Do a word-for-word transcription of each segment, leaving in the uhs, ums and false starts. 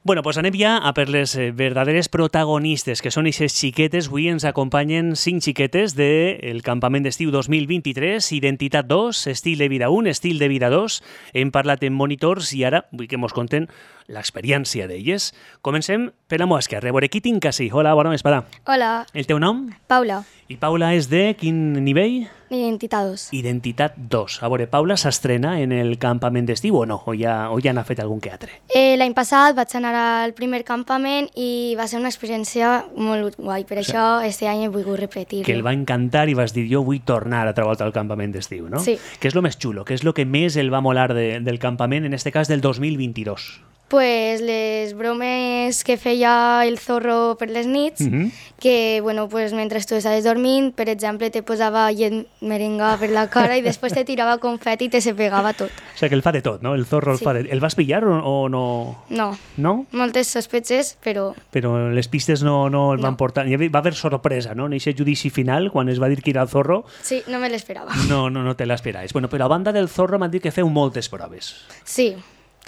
Bueno, pues anem ja a per les eh, verdaderes protagonistes, que són aquestes xiquetes. Avui ens acompanyen cinc xiquetes del campament d'estiu dos mil vint-i-tres, Identitat dos, Estil de vida un, Estil de vida dos. Hem parlat en monitors i ara vull que mos conten l'experiència d'elles. Comencem per la meva esquerra. A veure, qui tinc així? Hola, bona vesprada. Hola. El teu nom? Paula. I Paula és de quin nivell? Identitat dos. Identitat dos. A veure, Paula s'estrena en el campament d'estiu o no? O ja, o ja n'ha fet algun que altre? Eh, L'any passat vaig anar al primer campament i va ser una experiència molt guai. Per o això, aquest any he volgut repetir-lo. Que el va encantar i vas dir, jo vull tornar a treballar al campament d'estiu, no? Sí. Què és el més xulo? Què és el que més el va molar de, del campament, en este cas del dos mil vint-i-dos? Pues les bromes que feia el Zorro per les nits, Mhm. que bueno, pues, mentre tu estaves dormint, per exemple, te posava llet merenga per la cara i després te tirava confeti i te se pegava tot. O sigui que el fa de tot, no? El Zorro el Sí. fa de... El vas pillar o, o no? No, No? moltes sospeches, però Però les pistes no, no el van No. portar... Hi va haver sorpresa, no? En aquest judici final, quan es va dir que era el Zorro, sí, no me l'esperava. no, no, no te l'esperaves. Bueno, però a banda del Zorro m'han dit que feu moltes proves. Sí,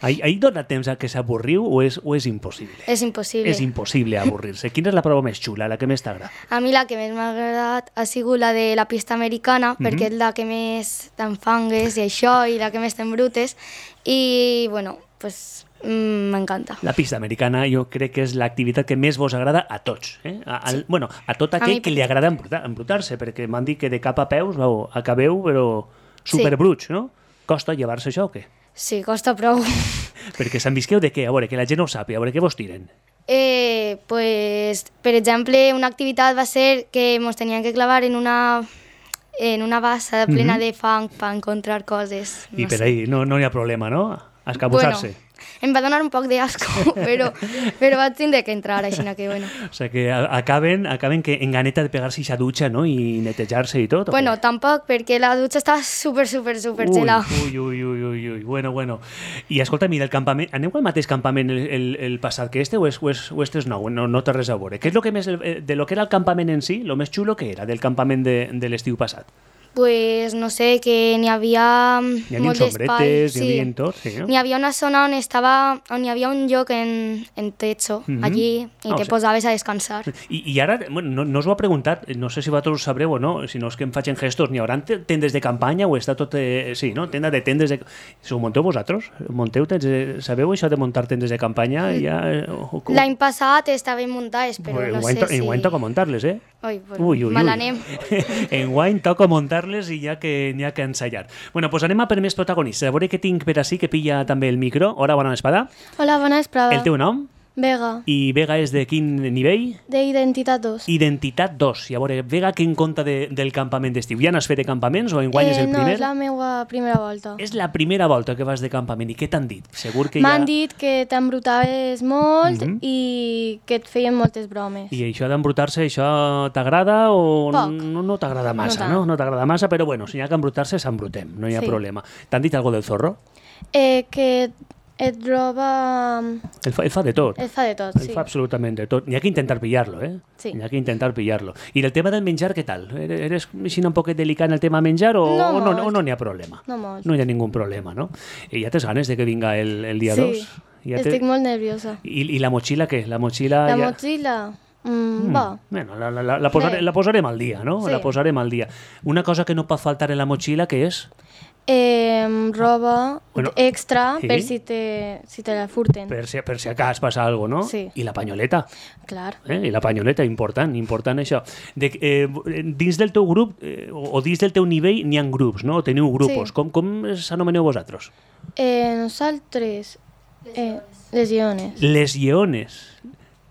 Ahí, ahí dona temps a que s'avorriu o és, o és impossible? és impossible. És impossible avorrir-se. Quina és la prova més xula, la que més t'agrada? A mi la que més m'ha agradat ha sigut la de la pista americana, perquè és la que més t'enfangues i això, i la que més t'embrutes. I, bueno, pues, mm, m'encanta. La pista americana jo crec que és l'activitat que més vos agrada a tots. Eh? A, al, Sí. bueno, a tot A aquell mi que li agrada embrutar- embrutar-se, perquè m'han dit que de cap a peus vau, acabeu, però superbruts, no? Costa llevar-se això o què? Sí, costa prou. Perquè s'envisqueu de què? A veure, que la gent no ho sàpiga, a veure què vos tiren. Eh, pues, per exemple, una activitat va ser que ens tenien que clavar en una, en una bassa plena Mhm. de fang per encontrar coses. I no per sé. ahí no no hi ha problema, no? A escabussar-se. Bueno, em va donar un poc d'asco, però, però vaig tindre que entrar, així que bueno. O sigui que a- acaben, acaben que en ganeta de pegar-se a ducha, no? I netejar-se i tot. o Bueno, què? tampoc, perquè la dutxa estava super, super, super Ui, gelada. ui, ui, ui, ui, ui, bueno, bueno. I escolta, mira, el campament, aneu al mateix campament el, el, el passat que este o és, o és, o este és nou? No, no té res a veure. Què és lo que més, eh, de lo que era el campament en si, lo més xulo que era del campament de, de l'estiu passat? Pues no sé, que n'hi havia Hi havia molt d'espai. sombretes, hi havia tot, sí, no? N'hi havia una zona on estava, on hi havia un lloc en, en techo, Mhm. allí, i Ah, o te sigui- posaves a descansar. I, I ara, bueno, no, no us ho ha preguntat, no sé si vosaltres ho sabreu o no, si no és que em facin gestos, n'hi haurà tendes de campanya o està tot... Eh, sí, no? Tenda de tendes de... Si ho monteu vosaltres? Monteu tendes de... Sabeu això de muntar tendes de campanya? Ja, eh, o, o, L'any passat estaven muntades, però no sé si... Enguany toca muntar-les, eh? Ui, pues, Ui, ui, me ui. l'anem. Enguany toca muntar-les i ja que n'hi ha que ensayar. Bueno, pues anem a per més protagonistes. A veure què tinc per ací, que pilla també el micro. Hola, bona vesprada. Hola, bona vesprada. El teu nom? Vega, I Vega és de quin nivell? d'Identitat dos. Identitat dos. I a veure, Vega, què en compta de, del campament d'estiu? Ja n'has fet de campaments o enguany és el no, primer? és la meva primera volta. És la primera volta que vas de campament. I què t'han dit? Segur que ja... M'han dit que t'embrutaves molt Mhm. i que et feien moltes bromes. I això d'embrutar-se, això t'agrada o Poc. no, no t'agrada massa, tant. no? No t'agrada massa, però bueno, si hi ha que embrutar-se, s'embrutem, no hi ha Sí. problema. T'han dit alguna del Zorro? Eh, que et roba... El fa, el fa de tot. Et fa de tot, El sí. fa absolutament de tot. N'hi ha que intentar pillar-lo, eh? Sí. N'hi ha que intentar pillar-lo. I del tema del menjar, què tal? Eres, eres així un poquet delicat en el tema menjar o No o no, molt. o no n'hi ha problema? No molt. No hi ha ningú problema, no? I ja tens ganes de que vinga el, el dia Sí, dos? Ja estic molt nerviosa. I, I la motxilla, què? La motxilla... La ja... motxilla, mm, Mm, va. Bueno, la, la, la, la, posare, Bé. la posarem al dia, no? Sí. La posarem al dia. Una cosa que no pot faltar en la motxilla, què és? Eh, roba Bueno, extra sí. per si te, si te la furten. Per si, per si acas passa alguna cosa, no? Sí. I la panyoleta. Clar. Eh? I la panyoleta, important, important això. De, eh, dins del teu grup, eh, o o dins del teu nivell, n'hi ha grups, no? Teniu grupos. Sí. Com, com s'anomeneu vosaltres? Eh, nosaltres... Eh, les lleones. Les lleones.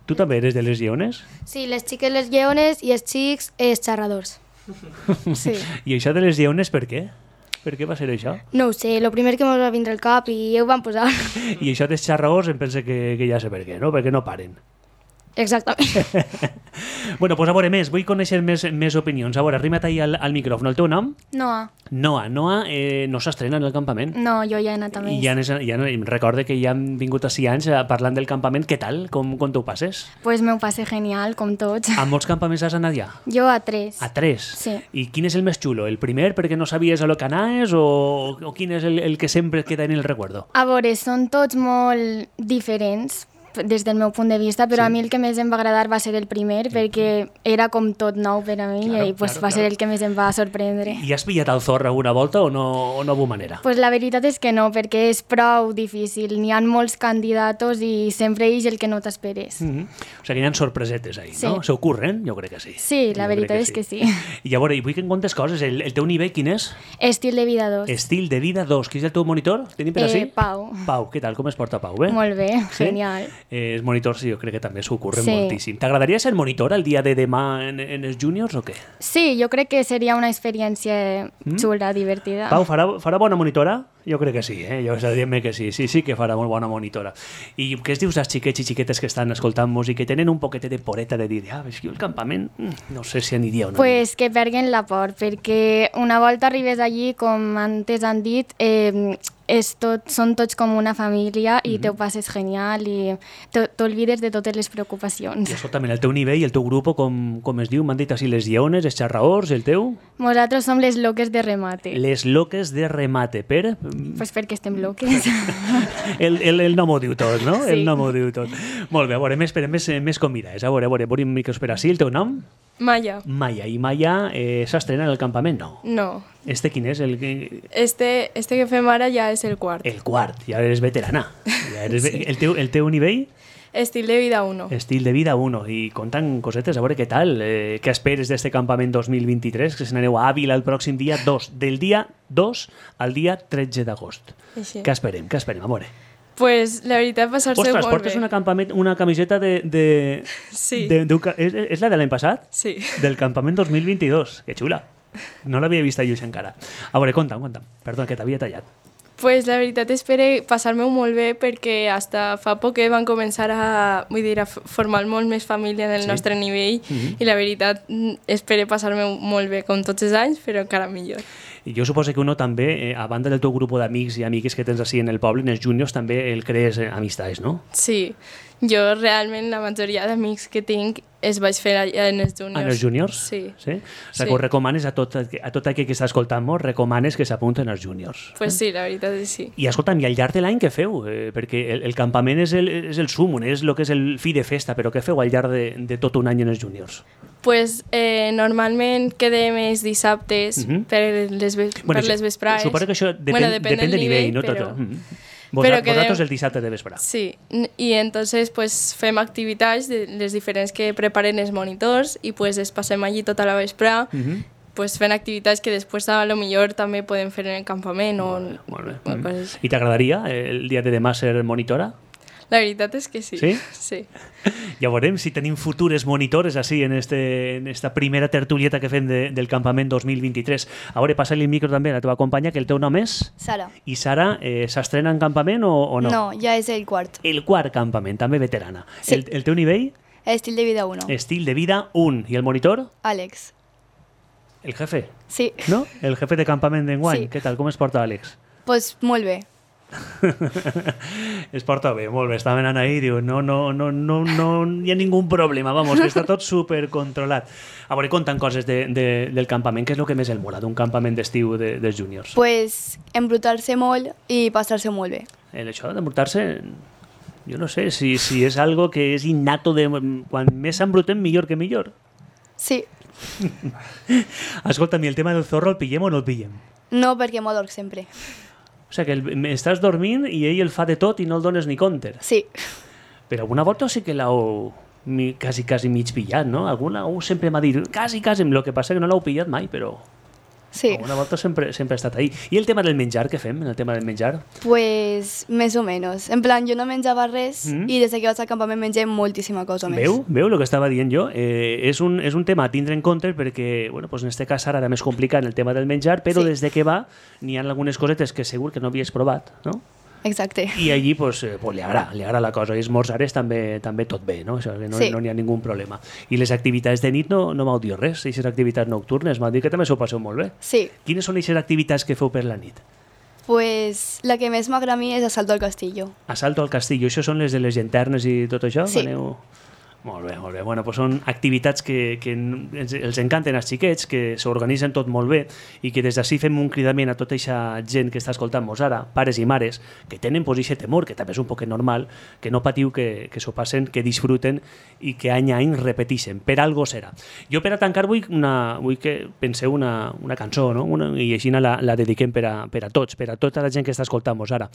Tu també eres de les lleones? Sí, les xiques les lleones i els xics els xerradors. Sí. I això de les lleones per què? Per què va ser això? No ho sé, el primer que ens va vindre al cap i ho van posar. I això dels xarraors em pensa que, que ja sé per què, no? Perquè no paren. Exactament. Bueno, pues a veure més, vull conèixer més, més opinions. A veure, arrima't ahí al, al micròfon. El teu nom? Noa. Noa. Noa eh, no s'estrena en el campament. No, jo ja he anat a I més. ja, anes, ja no, em recorde que ja han vingut així anys eh, parlant del campament. Què tal? Com, com t'ho passes? Pues me ho passe genial, com tots. A molts campaments has anat ja? Jo a tres. A tres? Sí. I quin és el més xulo? El primer perquè no sabies a lo que anaves o, o quin és el, el que sempre queda en el recuerdo? A veure, són tots molt diferents, des del meu punt de vista, però Sí. a mi el que més em va agradar va ser el primer, perquè era com tot nou per a mi Claro, i pues, claro, va ser claro. el que més em va sorprendre. I has pillat el Zorra alguna volta o no, o no hu manera? Pues la veritat és que no, perquè és prou difícil. N'hi ha molts candidatos i sempre és el que no t'esperes. Mm -hmm. O sigui, hi ha sorpresetes ahí, Sí. no? Se ocorren? Jo crec que sí. Sí, la Jo veritat crec és que sí. I llavors, i vull que em contes coses. El, el teu nivell quin és? Estil de vida dos. Estil de vida dos. Qui és el teu monitor? Tenim per Eh, ací? Pau. Pau, què tal? Com es porta Pau? Bé? Molt bé, Sí? genial. Eh, els monitors, sí, jo crec que també s'ho ocorren Sí. moltíssim. T'agradaria ser monitor el dia de demà en, en els juniors o què? Sí, jo crec que seria una experiència xula, divertida. Pau, farà, farà bona monitora? Jo crec que sí, eh? Jo dient-me que sí, sí, sí que farà molt bona monitora. I què es dius als xiquets i xiquetes que estan escoltant música i tenen un poquet de poreta de dir, ah, és que jo el campament mm, no sé si aniria o no. Pues que perguen la por, perquè una volta arribes allí, com antes han dit, eh, és tot, són tots com una família i te ho passes genial i te- t'olvides de totes les preocupacions. I escolta'm, el teu nivell, el teu grup, com, com es diu? M'han dit així les lleones, els xarraors, el teu? Nosaltres som les loques de remate. Les loques de remate. Per? Pues perquè estem loques. El, el, el nom ho diu tot, no? Sí. El nom ho diu tot. Molt bé, a veure, més, més, més convidades. A veure, a veure, veure una mica espera. Sí, el teu nom? Maya. Maya. I Maya eh, s'estrena en el campament? No. No. Este quin és? El, que- Este, este que fem ara ja és el quart. el quart. Ja eres veterana. Ja eres ve- Sí. el, teu, el teu nivell? Estil de vida uno. Estil de vida uno. I contant cosetes, a veure què tal. Eh, què esperes d'este campament dos mil vint-i-tres? Que se n'aneu a Àvila el pròxim dia dos. Del dia dos al dia tretze d'agost. Així. Què esperem? Què esperem? A veure. Pues la veritat, passar-se Ostres, molt portes bé. una, campament, una camiseta de... de, Sí. de, de, és, és la de l'any passat? Sí. Del campament dos mil vint-i-dos. Que xula. No l'havia vist a lluix encara. A veure, conta'm, conta'm. Perdona, que t'havia tallat. Pues la veritat espero passar-me-ho molt bé perquè hasta fa poc que van començar a, vull dir, a f- formar molt més família en el Sí. sí. nostre nivell Mhm. i la veritat mm, espero passar-me molt bé com tots els anys, però encara millor. I jo suposo que uno també, eh, a banda del teu grup d'amics i amigues que tens així en el poble, en els juniors, també el crees eh, amistats, no? Sí, jo realment la majoria d'amics que tinc es vaig fer allà en els juniors. En els juniors? Sí. sí? O sigui, Sí. que ho recomanes a tot, a tot aquell que està escoltant-nos, recomanes que s'apunten als juniors. Pues sí, la veritat és sí. I escolta'm, i al llarg de l'any què feu? Eh, perquè el, el campament és el, és el sumum, és el que és el fi de festa, però què feu al llarg de, de tot un any en els juniors? Pues eh, normalment quedem els dissabtes Mhm. per les, ve per això- les vesprades. Suposo que això depèn, Bueno, depèn, depèn de del nivell, nivell, no però- tot. Mm. Vosaltres, quedem- vosaltres el dissabte de vespre. Sí, n- i entonces pues fem activitats de les diferents que preparen els monitors i pues es passem allí tota la vesprada Mhm. pues fent activitats que després a lo millor també podem fer en el campament o Molt bé. o Mm. coses així. I t'agradaria eh, el dia de demà ser monitora? La veritat és que sí. Sí? Sí. Ja veurem si tenim futures monitores així en, este, en esta primera tertulieta que fem de, del campament dos mil vint-i-tres. A veure, passa-li el micro també a la teva companya, que el teu nom és... Sara. I Sara, eh, s'estrena en campament o, o no? No, ja és el quart. El quart campament, també veterana. Sí. El, el teu nivell? Estil de vida uno. Estil de vida un. I el monitor? Àlex. El jefe, Sí. no? El jefe de campament d'enguany. Sí. Què tal? Com es porta, Àlex? Pues molt bé. Es porta bé, molt bé. Estaven anant ahí i diu, no, no, no, no, no hi ha ningú problema, vamos, que està tot super controlat. A veure, contant coses de, de, del campament, què és el que més el mola d'un campament d'estiu de, dels juniors? Pues embrutar-se molt i passar-se molt bé. El això d'embrutar-se, jo no sé, si, si és algo que és innato, de, quan més s'embrutem, millor que millor. Sí. Escolta, i el tema del zorro, el pillem o no el pillem? No, perquè m'adorc sempre. O sigui, que el, estàs dormint i ell el fa de tot i no el dones ni compte. Sí. Però alguna volta sí que l'heu mi- quasi, quasi mig pillat, no? Alguna uh, sempre m'ha dit, quasi, quasi, el que passa que no l'heu pillat mai, però Sí. alguna volta sempre, sempre ha estat ahí. I el tema del menjar, què fem en el tema del menjar? Pues més o menys. En plan, jo no menjava res Mm. i des que vaig al campament mengem moltíssima cosa més. Veu? Veu el que estava dient jo? Eh, és, un, és un tema a tindre en compte perquè, bueno, pues en este cas ara era més complicat en el tema del menjar, però Sí. des de que va n'hi ha algunes cosetes que segur que no havies provat, no? Exacte. I allí pues, eh, pues, li agrada, li agrada la cosa. I esmorzar és també, també tot bé, no? O sigui, no, Sí. no n'hi ha ningú problema. I les activitats de nit no, no m'heu dit res, aquestes activitats nocturnes, m'heu dit que també s'ho passeu molt bé. Sí. Quines són aquestes activitats que feu per la nit? Pues la que més m'agrada a mi és Asalto al Castillo. Assalto al castillo, això són les de les llanternes i tot això? Sí. Aneu, Molt bé, molt bé. Bueno, doncs són activitats que, que ens, els encanten als xiquets, que s'organitzen tot molt bé i que des d'ací fem un cridament a tota aquesta gent que està escoltant-nos ara, pares i mares, que tenen pues, aquest temor, que també és un poquet normal, que no patiu, que, que s'ho passen, que disfruten i que any a any repeteixen. Per algo serà. Jo per a tancar vull, una, vull que penseu una, una cançó, no? Una, i així la, la dediquem per a, per a tots, per a tota la gent que està escoltant-nos ara.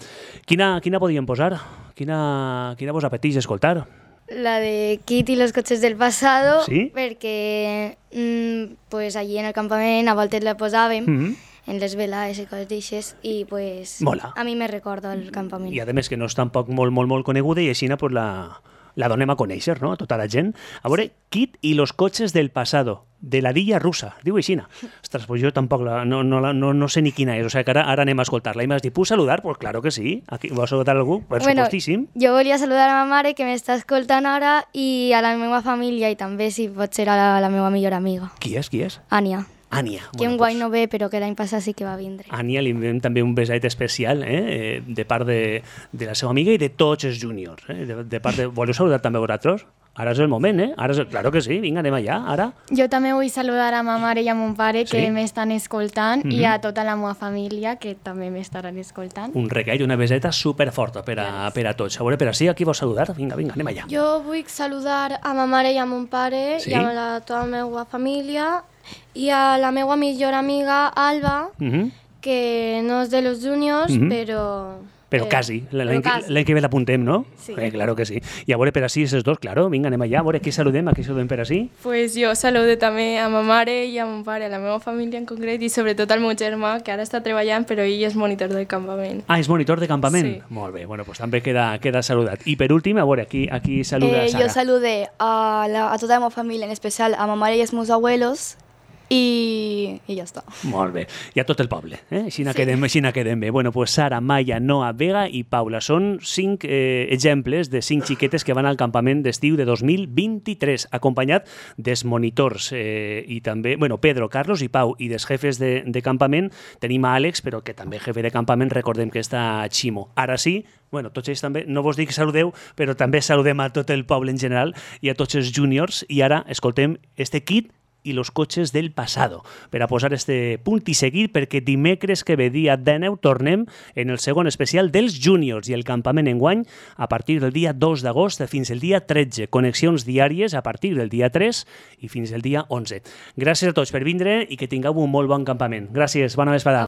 Quina, quina podríem posar? Quina, quina vos apeteix escoltar? La de Kit y los coches del pasado, ¿Sí? Perquè mmm, pues allí en el campament a voltes la posàvem, Mm-hmm. en les velades i coses d'aixes, i pues Mola. a mi me recorda el campament. I a més que no és tampoc molt, molt, molt coneguda i així pues, la, la donem a conèixer, no?, a tota la gent. A veure, Kit y los coches del pasado, de la Dilla Russa, diu aixina. Ostres, pues jo tampoc la, no, no, no, no sé ni quina és, o sigui que ara, ara anem a escoltar-la. I m'has dit, puc saludar? Pues claro que sí. Aquí, vols saludar algú? Per Bueno, supostíssim. jo volia saludar a ma mare que m'està escoltant ara i a la meva família i també, si pot ser, a la, la meva millor amiga, Qui és? Qui és? Ània, Ània. que un guai no ve però que l'any passat sí que va vindre. Ània li enviem també un besaet especial eh? de part de, de la seva amiga i de tots els júniors. Eh? De, de part de... Voleu saludar també vosaltres? Ara és el moment, eh? Ara és el... Claro que sí, vinga, anem allà, ara. Jo també vull saludar a ma mare i a mon pare que Sí? m'estan escoltant Mhm. i a tota la meva família que també m'estaran escoltant. Un regal i una beseta superforta per a, per a tots. A veure, per així, aquí vols saludar? Vinga, vinga, anem allà. Jo vull saludar a ma mare i a mon pare Sí? i a la, tota la meva família i a la meva millor amiga Alba, Mhm. que no és de los juniors, Mhm. però... Però eh, quasi, l'any però que, quasi. l'any que ve l'apuntem, no? Sí. Eh, claro que sí. I a veure, per així, aquests dos, claro, vinga, anem allà, a veure, aquí saludem, aquí saludem per així. Pues jo saludo també a ma mare i a mon pare, a la meva família en concret i sobretot al meu germà, que ara està treballant, però ell és monitor del campament. Ah, és monitor de campament? Sí. Molt bé, bueno, pues també queda, queda saludat. I per últim, a veure, aquí, aquí saluda Eh, Sara. yo saludé a, la- a toda mi familia, en especial a mamá y a mis abuelos, y, y ya está. Molt bé. I a tot el poble. Eh? Així sí. quedem, així quedem bé. Bueno, pues Sara, Maya, Noa, Vega i Paula. Són cinc eh, exemples de cinc xiquetes que van al campament d'estiu de dos mil vint-i-tres, acompanyat dels monitors eh, i també, bueno, Pedro, Carlos i Pau, i dels jefes de, de campament. Tenim a Àlex, però que també jefe de campament, recordem que està a Ximo. Ara sí, bueno, tots ells també, no vos dic que saludeu, però també saludem a tot el poble en general i a tots els júniors. I ara escoltem este kit i los coches del pasado, per a posar este punt i seguit, perquè dimecres que ve dia dinou tornem en el segon especial dels júniors i el campament enguany a partir del dia dos d'agost fins el dia tretze. Connexions diàries a partir del dia tres i fins el dia onze. Gràcies a tots per vindre i que tingueu un molt bon campament. Gràcies, bona vesprada.